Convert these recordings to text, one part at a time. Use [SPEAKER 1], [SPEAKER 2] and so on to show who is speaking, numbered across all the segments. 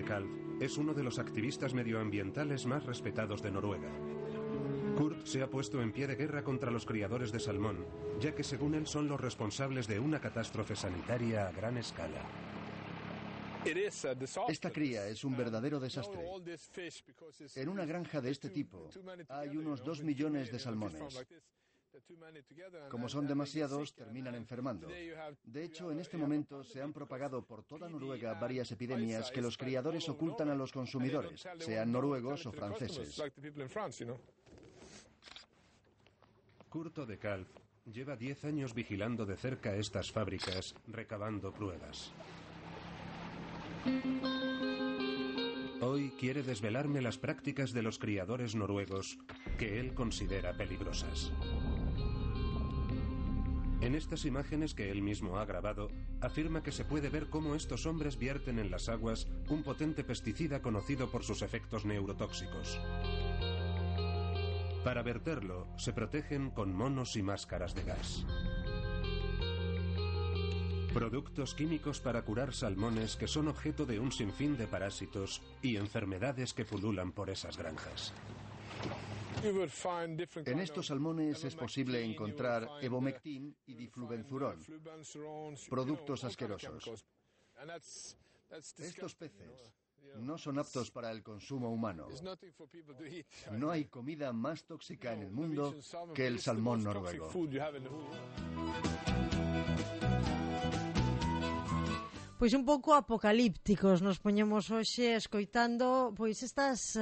[SPEAKER 1] Kalv es uno de los activistas medioambientales más respetados de Noruega. Kurt se ha puesto en pie de guerra contra los criadores de salmón, ya que según él son los responsables de una catástrofe sanitaria a gran escala.
[SPEAKER 2] Esta cría es un verdadero desastre. En una granja de este tipo hay unos 2 millones de salmones. Como son demasiados, terminan enfermando. De hecho, en este momento se han propagado por toda Noruega varias epidemias que los criadores ocultan a los consumidores, sean noruegos o franceses.
[SPEAKER 1] Kurt de Kalv lleva 10 años vigilando de cerca estas fábricas, recabando pruebas. Hoy quiere desvelarme las prácticas de los criadores noruegos que él considera peligrosas. En estas imágenes que él mismo ha grabado, afirma que se puede ver cómo estos hombres vierten en las aguas un potente pesticida conocido por sus efectos neurotóxicos. Para verterlo, se protegen con monos y máscaras de gas. Productos químicos para curar salmones que son objeto de un sinfín de parásitos y enfermedades que pululan por esas granjas.
[SPEAKER 2] En estos salmones es posible encontrar evomectin y diflubenzurón, productos asquerosos. Estos peces no son aptos para el consumo humano. No hay comida más tóxica en el mundo que el salmón noruego.
[SPEAKER 3] Pois un pouco apocalípticos nos poñemos hoxe escoitando pois estas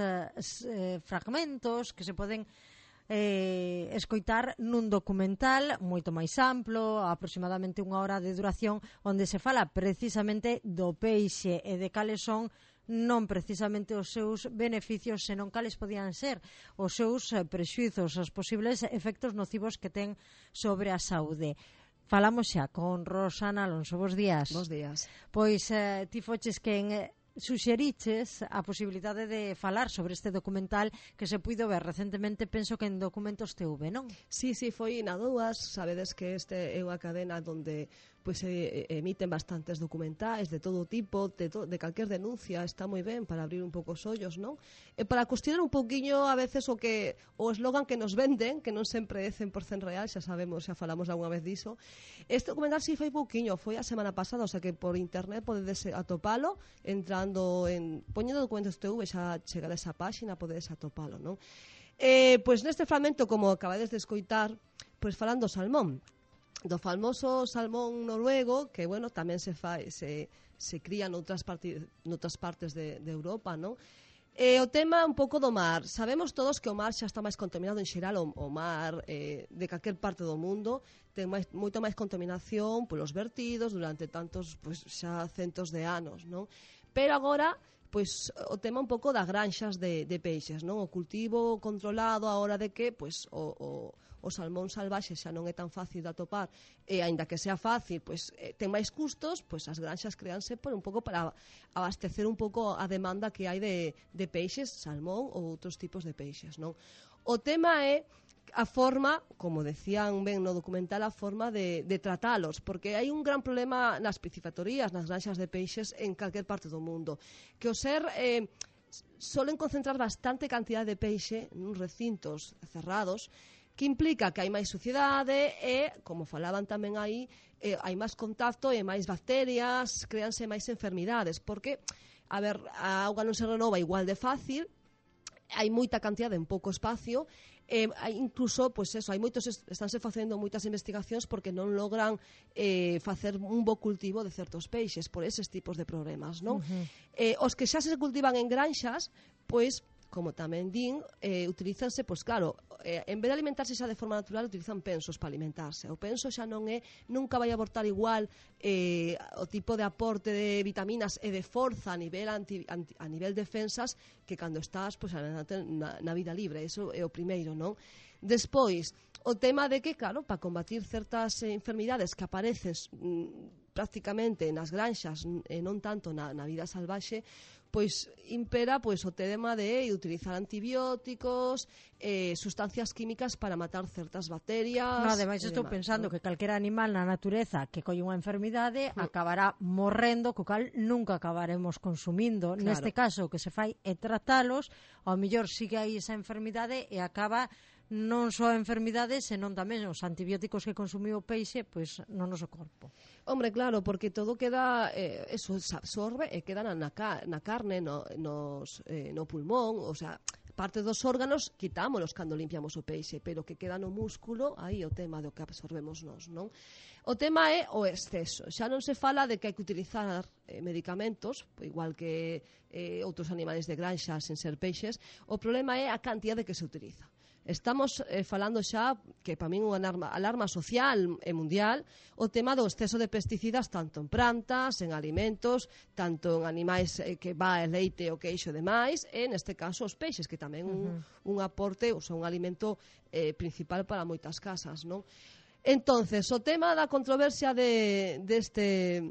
[SPEAKER 3] fragmentos que se poden escoitar nun documental moito máis amplo, aproximadamente 1 hora de duración, onde se fala precisamente do peixe e de cales son non precisamente os seus beneficios, senón cales podían ser os seus prexuizos, os posibles efectos nocivos que ten sobre a saúde. Falamos xa con Rosana Alonso. Bos días.
[SPEAKER 4] Bos días.
[SPEAKER 3] Pois ti foches quen suxeriches a posibilidade de falar sobre este documental que se puido ver recentemente, penso que en Documentos TV, non?
[SPEAKER 4] Sí, foi na Dúas. Sabedes que este é unha cadena donde pois se emiten bastantes documentais de todo tipo, de calquer denuncia. Está moi ben para abrir un pouco os ollos, non? E para cuestionar un pouquiño a veces o eslogan que nos venden, que non sempre é 100% real, xa sabemos, xa falamos algunha vez diso. Este documental si foi pouquiño, foi a semana pasada, o sea que por internet podedes atopalo entrando poñendo Documentos TV, xa chegar a esa páxina, podedes atopalo, non? Pois neste fragmento, como acabades de escoitar, pois falando do salmón, do famoso salmón noruego, que, bueno, tamén se cría noutras partes de Europa, non? O tema un pouco do mar. Sabemos todos que o mar xa está máis contaminado en xeral, o mar de calquer parte do mundo ten moita máis contaminación polos vertidos durante tantos, pois xa centos de anos, non? Pero agora, pois o tema un pouco das granxas de peixes, non? O cultivo controlado a hora de que, pois o salmón salvaxe xa non é tan fácil de atopar, e aínda que sea fácil, pois ten máis custos, pois as granxas créanse por un pouco para abastecer un pouco a demanda que hai de peixes, salmón ou outros tipos de peixes, non? O tema é a forma, como decían ben no documental, a forma de tratalos, porque hai un gran problema nas piscifactorías, nas granxas de peixes en calquer parte do mundo, que o ser solen concentrar bastante cantidad de peixe nuns recintos cerrados, que implica que hai máis suciedade e, como falaban tamén aí, hai máis contacto e máis bacterias, créanse máis enfermidades, porque, a auga non se renova igual de fácil, hai moita cantidade en pouco espacio, incluso, pois eso, estánse facendo moitas investigacións porque non logran facer un bo cultivo de certos peixes por eses tipos de problemas, non? Os que xa se cultivan en granxas, pois, como tamén din, utilízanse, pois claro, en vez de alimentarse xa de forma natural, utilizan pensos para alimentarse. O penso xa nunca vai aportar igual o tipo de aporte de vitaminas e de forza a nivel defensas que cando estás pois, na vida libre. Iso é o primeiro, non? Despois, o tema de que, claro, para combatir certas enfermidades que aparecen prácticamente nas granxas e non tanto na vida salvaxe, pois impera pois o tema de utilizar antibióticos, sustancias químicas para matar certas bacterias.
[SPEAKER 3] No, ademais estou pensando que calquera animal na natureza que colle unha enfermidade acabará morrendo, co cal nunca acabaremos consumindo.
[SPEAKER 4] Claro.
[SPEAKER 3] Neste caso, o que se fai é tratalos, ao mellor sigue aí esa enfermidade e acaba non só a enfermidade, senón tamén os antibióticos que consumiu o peixe pois no noso corpo.
[SPEAKER 4] Hombre, claro, porque todo queda, eso se absorbe e queda na carne, no pulmón, o sea, parte dos órganos quitámolos cando limpiamos o peixe, pero que queda no músculo, aí o tema do que absorbemos nós, non? O tema é o exceso. Xa non se fala de que hai que utilizar medicamentos, igual que outros animais de granxa sen ser peixes, o problema é a cantidade que se utiliza. Estamos falando xa, que para min unha alarma social e mundial, o tema do exceso de pesticidas tanto en plantas, en alimentos, tanto en animais que va el leite o queixo e demais, e neste caso os peixes, que tamén un aporte, ou sea, un alimento principal para moitas casas, non? Entonces, o tema da controversia deste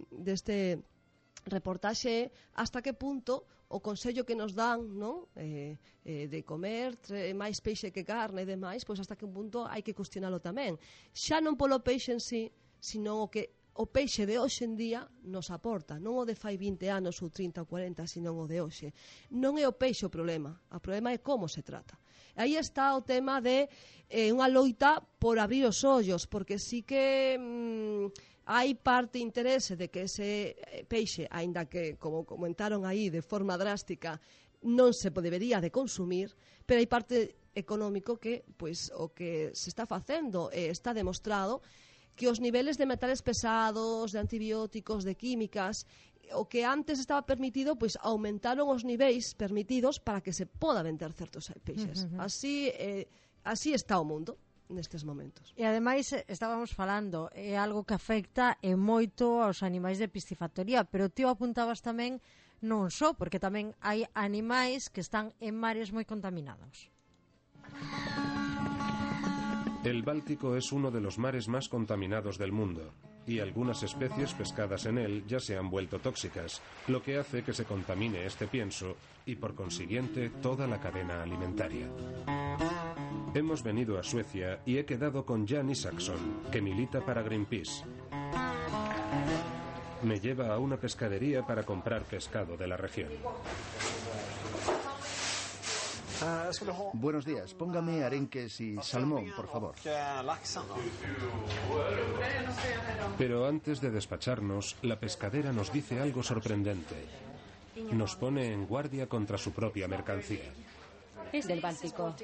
[SPEAKER 4] reportaxe, hasta que punto o consello que nos dan, non? De comer máis peixe que carne e demais, pois hasta que punto hai que cuestionalo tamén. Xa non polo peixe en sí, sino o que o peixe de hoxe en día nos aporta, non o de fai 20 anos ou 30 ou 40, sino o de hoxe. Non é o peixe o problema é como se trata. Aí está o tema de unha loita por abrir os ollos, porque sí que hai parte interese de que ese peixe, aínda que, como comentaron aí de forma drástica, non se debería de consumir, pero hai parte económico que, pois, o que se está facendo está demostrado que os niveles de metales pesados, de antibióticos, de químicas, o que antes estaba permitido, pois aumentaron os niveis permitidos para que se poda vender certos peixes. Así está o mundo nestes momentos.
[SPEAKER 3] E ademais estábamos falando, é algo que afecta e moito aos animais de piscifactoría, pero ti apuntabas tamén non só, porque tamén hai animais que están en mares moi contaminados.
[SPEAKER 1] El Báltico es uno de los mares más contaminados del mundo, y algunas especies pescadas en él ya se han vuelto tóxicas, lo que hace que se contamine este pienso y por consiguiente toda la cadena alimentaria. Hemos venido a Suecia y he quedado con Jan Isaksson, que milita para Greenpeace. Me lleva a una pescadería para comprar pescado de la región.
[SPEAKER 2] Buenos días, póngame arenques y salmón, por favor.
[SPEAKER 1] Pero antes de despacharnos, la pescadera nos dice algo sorprendente. Nos pone en guardia contra su propia mercancía.
[SPEAKER 5] Es del Báltico.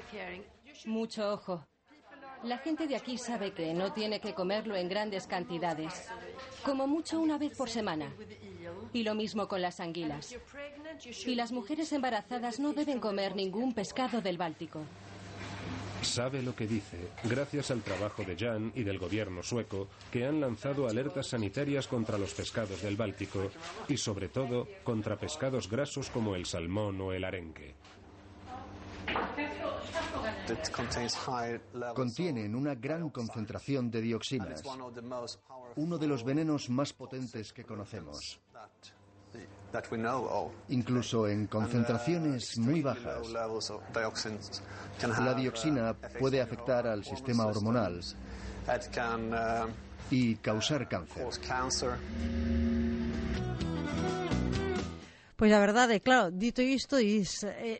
[SPEAKER 5] Mucho ojo. La gente de aquí sabe que no tiene que comerlo en grandes cantidades, como mucho una vez por semana. Y lo mismo con las anguilas. Y las mujeres embarazadas no deben comer ningún pescado del Báltico.
[SPEAKER 1] Sabe lo que dice, gracias al trabajo de Jan y del gobierno sueco, que han lanzado alertas sanitarias contra los pescados del Báltico y sobre todo contra pescados grasos como el salmón o el arenque.
[SPEAKER 2] Contienen una gran concentración de dioxinas, uno de los venenos más potentes que conocemos. Incluso en concentraciones muy bajas, la dioxina puede afectar al sistema hormonal y causar cáncer.
[SPEAKER 3] Pois a verdade, claro, dito isto,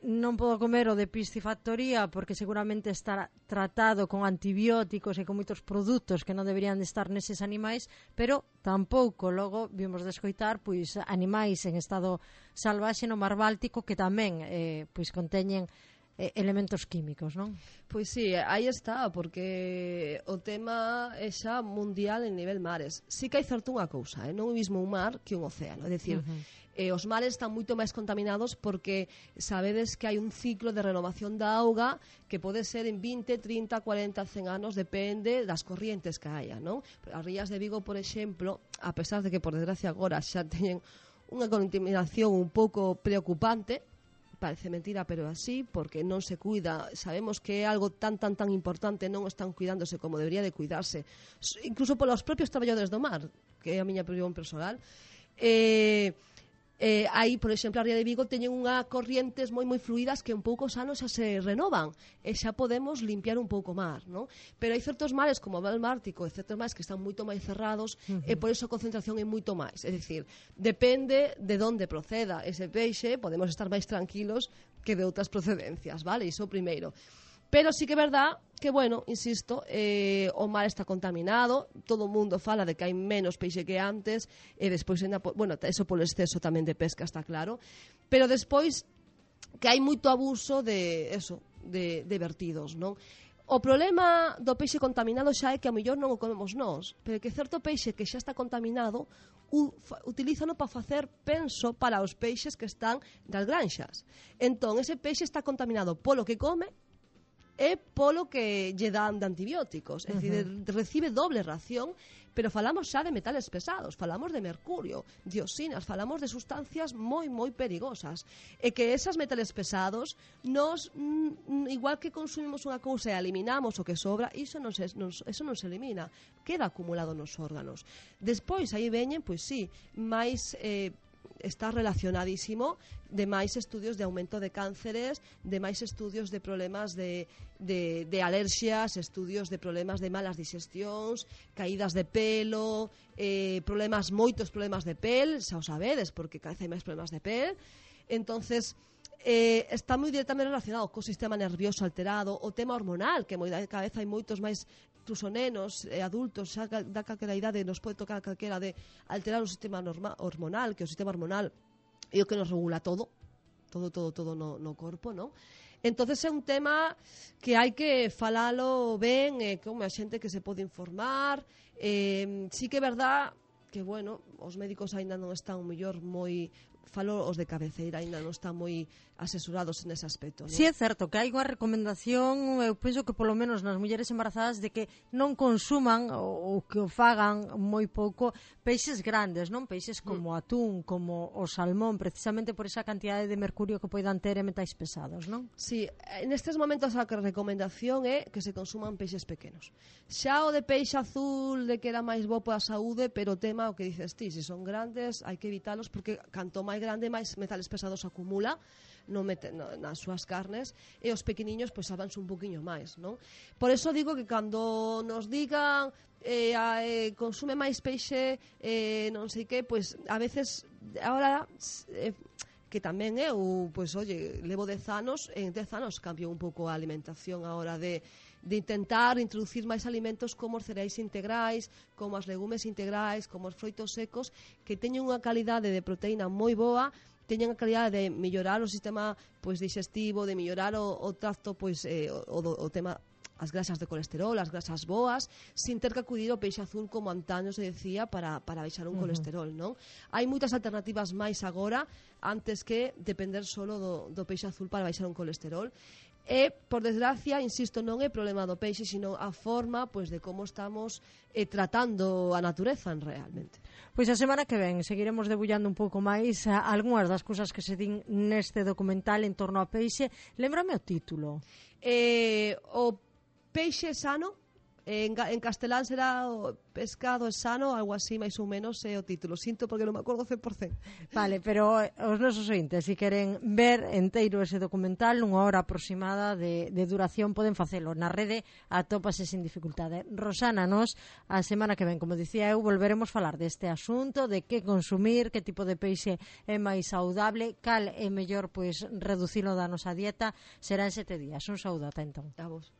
[SPEAKER 3] non podo comer o de piscifactoría porque seguramente está tratado con antibióticos e con moitos produtos que non deberían de estar neses animais, pero tampouco logo vimos de escoitar pois animais en estado salvaxe no mar Báltico que tamén pois conteñen elementos químicos, non?
[SPEAKER 4] Pois sí, aí está, porque o tema é xa mundial en nivel mares. Sí que hai certo unha cousa, non o mismo un mar que un océano, é dicir, os mares están moito máis contaminados porque sabedes que hai un ciclo de renovación da auga que pode ser en 20, 30, 40, 100 anos, depende das corrientes que haya, non? As rías de Vigo, por exemplo, a pesar de que por desgracia agora xa teñen unha contaminación un pouco preocupante, parece mentira, pero é así, porque non se cuida. Sabemos que é algo tan importante, non están cuidándose como debería de cuidarse, incluso polos propios traballadores do mar, que é a miña opinión personal. Aí, por exemplo, a Ría de Vigo teñen unha corrientes moi fluidas que en poucos anos xa se renovan e xa podemos limpiar un pouco máis, non? Pero hai certos mares como o Val Báltico e certos mares que están moito máis cerrados e por iso a concentración é moito máis. É dicir, depende de onde proceda ese peixe, podemos estar máis tranquilos que de outras procedencias, vale? Iso primeiro. Pero sí que é verdad que, bueno, insisto, o mar está contaminado, todo o mundo fala de que hai menos peixe que antes, e despois, bueno, eso polo exceso tamén de pesca, está claro, pero despois que hai moito abuso de vertidos, non? O problema do peixe contaminado xa é que a mellor non o comemos nós, pero que certo peixe que xa está contaminado utilízano para facer penso para os peixes que están das granxas. Entón, ese peixe está contaminado polo que come e polo que lle dan de antibióticos. É dicir, recibe doble ración, pero falamos xa de metales pesados, falamos de mercurio, dioxinas, falamos de sustancias moi perigosas. E que esas metales pesados, nos, igual que consumimos unha cousa e eliminamos o que sobra, eso non se elimina, queda acumulado nos órganos. Despois, aí veñen, pois sí, máis... está relacionadísimo de máis estudios de aumento de cánceres, de máis estudios de problemas de alerxias, estudios de problemas de malas digestións, caídas de pelo, moitos problemas de pel, xa o sabedes, porque cada vez hai máis problemas de pel. Entonces, está moi directamente relacionado co sistema nervioso alterado, o tema hormonal, que cada vez hai moitos máis incluso nenos, adultos, xa da calquera idade nos pode tocar calquera de alterar o sistema hormonal, que o sistema hormonal é o que nos regula todo no corpo, non? Entonces é un tema que hai que falalo ben, como a xente que se pode informar. Sí que é verdad que, bueno, os médicos aínda non están mellor moi... Falo os de cabeceira, aínda non están moi asesorados nese aspecto, non?
[SPEAKER 3] Si é certo que hai unha recomendación, eu penso que polo menos nas mulleres embarazadas, de que non consuman ou que o fagan moi pouco peixes grandes, non? Peixes como o atún, como o salmón, precisamente por esa cantidade de mercurio que poidan ter e metais pesados, non?
[SPEAKER 4] Si, nestes momentos a recomendación é que se consuman peixes pequenos. Xa o de peixe azul, de que era máis bo para a saúde, pero o tema, o que dices ti, se son grandes, hai que evitalos, porque canto máis grande, máis metales pesados acumula nas súas carnes, e os pequeniños pois avanse un poquinho máis, non? Por eso digo que cando nos digan consume máis peixe, non sei que, pois a veces ahora que tamén eu, pois oye, levo 10 anos, en 10 anos cambio un pouco a alimentación a hora de intentar introducir máis alimentos como os cereais integrais, como as legumes integrais, como os froitos secos, que teñen unha calidade de proteína moi boa, teñen a calidade de mellorar o sistema pois digestivo, de mellorar o tracto, pois o tema, as grasas de colesterol, as grasas boas, sin ter que acudir ao peixe azul como antaño se decía para baixar un colesterol, non? Hai moitas alternativas máis agora, antes que depender solo do peixe azul para baixar un colesterol. E, por desgracia, insisto, non é problema do peixe, sino a forma pois de como estamos tratando a natureza realmente.
[SPEAKER 3] Pois a semana que ven seguiremos debullando un pouco máis algunhas das cousas que se din neste documental en torno ao peixe. Lémbrame o título.
[SPEAKER 4] O peixe sano, en castelán será o pescado sano, algo así máis ou menos é o título. Sinto porque non me acordo 100%.
[SPEAKER 3] Vale, pero os nosos ointes, se queren ver enteiro ese documental, nunha hora aproximada de duración, poden facelo na rede, atópase sin dificultade. Rosana, nos a semana que ven, como dicía eu, volveremos falar deste asunto, de que consumir, que tipo de peixe é máis saudable, cal é mellor pois reducilo da nosa dieta. Será en 7 días. Un saúdo, ata entón.
[SPEAKER 4] A vos.